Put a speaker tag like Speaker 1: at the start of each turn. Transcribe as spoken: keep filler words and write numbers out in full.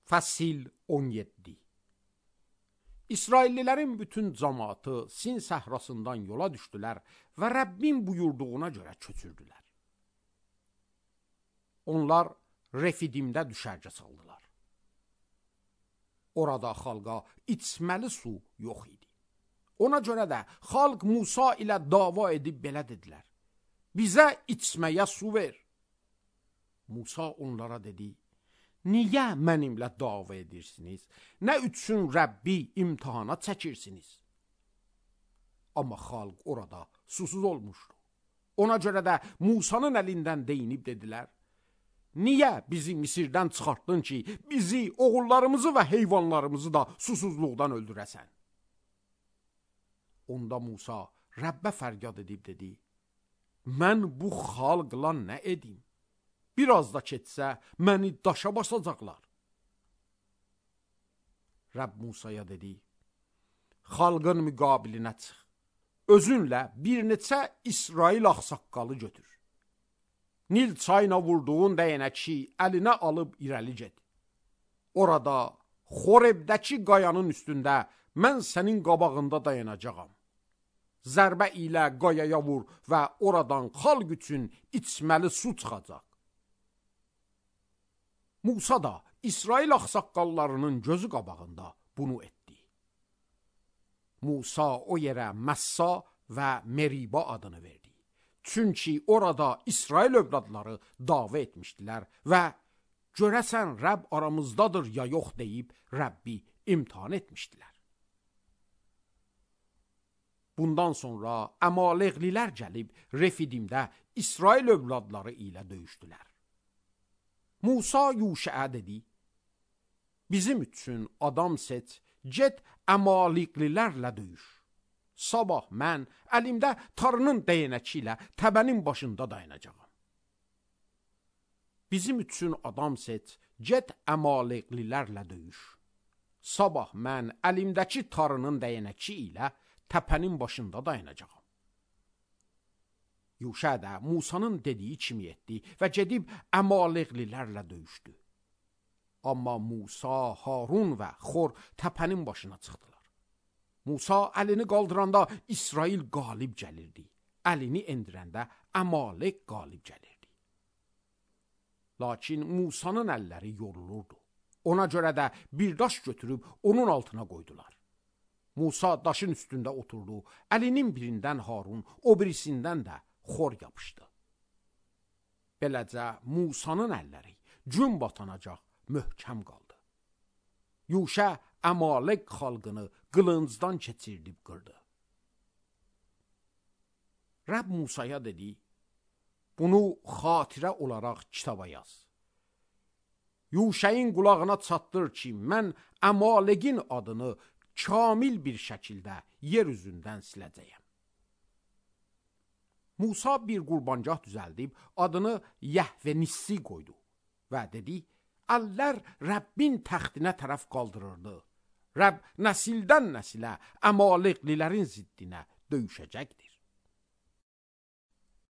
Speaker 1: Fəsil on yeddi. İsraillilərin bütün cəmaatı Sin səhrasından yola düşdülər və Rəbbin buyurduğuna görə köçürdülər. Onlar Refidimdə düşərgə saldılar. Orada xalqa içməli su yox idi. Ona görə də xalq Musa ilə dava edib belə dedilər: bizə içməyə su ver. Musa onlara dedi: niyə mənimlə dava edirsiniz? Nə üçün Rəbbi imtihana çəkirsiniz? Amma xalq orada susuz olmuşdu. Ona görə də Musanın əlindən deyinib dedilər: niyə bizi Misirdən çıxartdın ki, bizi, oğullarımızı və heyvanlarımızı da susuzluqdan öldürəsən? Onda Musa Rəbbə fəryad edib dedi: mən bu xalqla nə edim? Biraz da keçsə, məni daşa basacaqlar. Rəbb Musaya dedi: xalqın müqabilinə çıx. Özünlə bir neçə İsrail ağsaqqalı götür. Nil çayına vurduğun dəyənəki əlinə alıb irəli get. Orada Xorebdəki qayanın üstündə mən sənin qabağında dayanacağam. Zərbə ilə qayaya vur və oradan xalq üçün içməli su çıxacaq. Musa da İsrail ağsaqqallarının gözü qabağında bunu etdi. Musa o yerə Məssa və Meriba adını verdi. Çünki orada İsrail övladları dava etmişdilər və görəsən Rəbb aramızdadır ya yox deyib Rəbbi imtihan etmişdilər. Bundan sonra Əmaleqlilər gəlib Refidimdə İsrail övladları ilə döyüşdülər. Musa Yuşəə dedi: bizim üçün adam seç, get Əmaleqlilərlə döyüş. Sabah mən əlimdə tarının dəyənəki ilə təbənin başında dayanacağam. Bizim üçün adam seç, get Əmaleqlilərlə döyüş. Sabah mən əlimdəki tarının dəyənəki ilə təpənin başında dayanacağam. Yuşə də Musanın dediyi kimi etdi və gedib Əmaleqlilərlə döyüşdü. Amma Musa, Harun və Xor təpənin başına çıxdılar. Musa əlini qaldıranda İsrail qalib gəlirdi. Əlini endirəndə Əmaleq qalib gəlirdi. Lakin Musanın əlləri yorulurdu. Ona görə də bir daş götürüb onun altına qoydular. Musa daşın üstündə oturdu. Əlinin birindən Harun, o birisindən də Xor yapışdı. Beləcə Musanın əlləri gün batanacaq möhkəm qaldı. Yuşə Əmaleq xalqını qılıncdan keçirdib qırdı. Rəbb Musaya dedi: bunu xatirə olaraq kitaba yaz. Yuşəyin qulağına çatdır ki, mən Əmaleqin adını kamil bir şəkildə yer üzündən siləcəyəm. Musa bir qurbancaq düzəldib adını Yəhvenissi qoydu və dedi: əllər Rəbbin təxtinə tərəf qaldırırdı. Rəbb nəsildən nəsilə Əmaleqlilərin ziddinə döyüşəcəkdir.